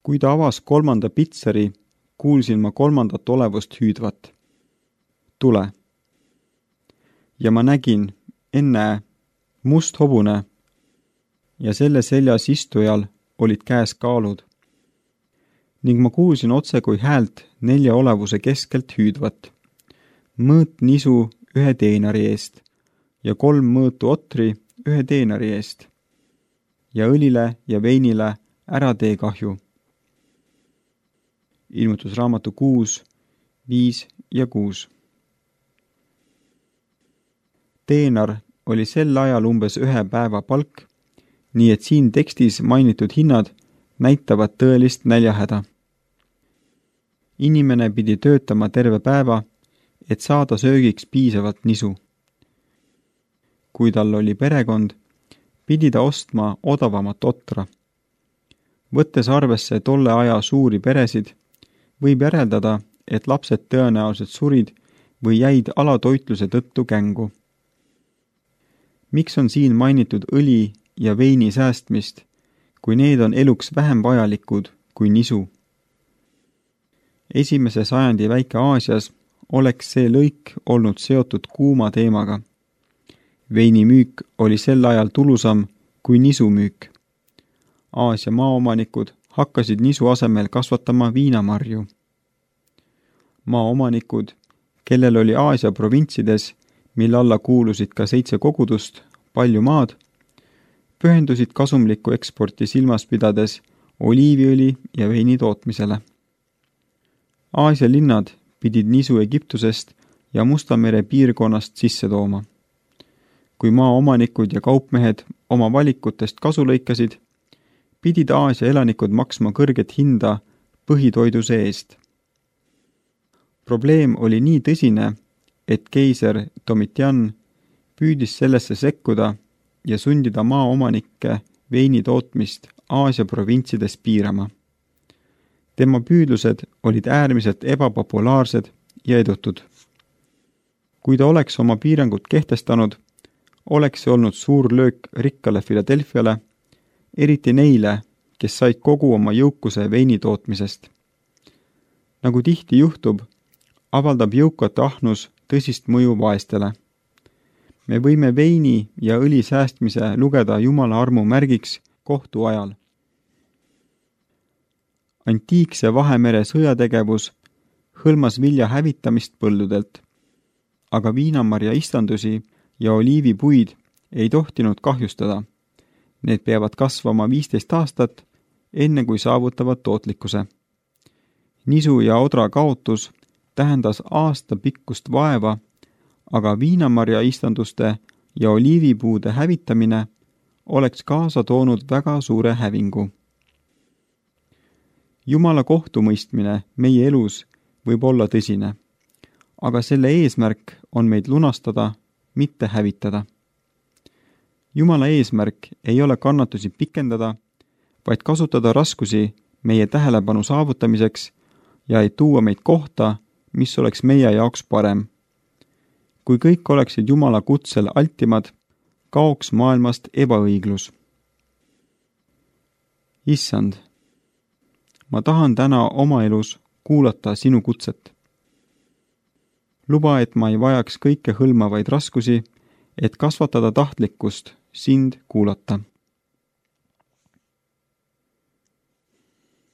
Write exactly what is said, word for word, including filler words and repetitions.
Kui ta avas kolmanda pitseri, kuulsin ma kolmandat olevust hüüdvat. Tule. Ja ma nägin, ennäe, must hobune ja selle seljas istujal olid käes kaalud. Ning ma kuulsin otse kui häält nelja olevuse keskelt hüüdvat. Mõõt nisu ühe teenari eest ja kolm mõõtu otri ühe teenari eest ja õlile ja veinile ära tee kahju. Ilmutusraamatu kuus, viis ja kuus. Teenar oli sel ajal umbes ühe päeva palk, nii et siin tekstis mainitud hinnad näitavad tõelist näljahäda. Inimene pidi töötama terve päeva, et saada söögiks piisavalt nisu. Kui tal oli perekond, pidi ta ostma odavamat otra. Võttes arvesse tolle aja suuri peresid, võib järeldada, et lapsed tõenäoliselt surid või jäid alatoitluse tõttu kängu. Miks on siin mainitud õli ja veini säästmist, kui need on eluks vähem vajalikud kui nisu? Esimese sajandi Väike-Aasias oleks see lõik olnud seotud kuuma teemaga. Veinimüük oli sel ajal tulusam kui nisumüük. Aasia maaomanikud hakkasid nisu asemel kasvatama viinamarju. Maaomanikud, kellel oli Aasia provintsides, mille alla kuulusid ka seitse kogudust, palju maad, pühendusid kasumlikku eksporti silmas pidades oliiviõli ja veini tootmisele. Aasia linnad pidid nisu Egiptusest ja Musta mere piirkonnast sisse tooma. Kui maaomanikud ja kaupmehed oma valikutest kasu lõikasid, pidid Aasia elanikud maksma kõrget hinda põhitoiduse eest. Probleem oli nii tõsine, et keiser Domitian püüdis sellesse sekkuda ja sundida maaomanikke veini tootmist Aasia provintsides piirama. Tema püüdlused olid äärmiselt ebapopulaarsed ja edutud. Kui ta oleks oma piirangud kehtestanud, oleks see olnud suur löök rikkale Philadelphiale, eriti neile, kes said kogu oma jõukuse veini tootmisest. Nagu tihti juhtub, avaldab jõukate ahnus tõsist mõju vaestele. Me võime veini ja õli säästmise lugeda Jumala armu märgiks kohtu ajal. Antiikse Vahemere sõjategevus hõlmas vilja hävitamist põldudelt, aga viinamarja istandusi ja oliivipuid ei tohtinud kahjustada. Need peavad kasvama viisteist aastat, enne kui saavutavad tootlikkuse. Nisu ja odra kaotus tähendas aasta pikkust vaeva, aga viinamarja istanduste ja oliivipuude hävitamine oleks kaasa toonud väga suure hävingu. Jumala kohtumõistmine meie elus võib olla tõsine, aga selle eesmärk on meid lunastada, mitte hävitada. Jumala eesmärk ei ole kannatusi pikendada, vaid kasutada raskusi meie tähelepanu saavutamiseks ja ei tuua meid kohta, mis oleks meie jaoks parem. Kui kõik oleksid Jumala kutsel altimad, kaoks maailmast ebaõiglus. Issand, ma tahan täna oma elus kuulata sinu kutset. Luba, et ma ei vajaks kõike hõlmavaid raskusi, et kasvatada tahtlikkust sind kuulata.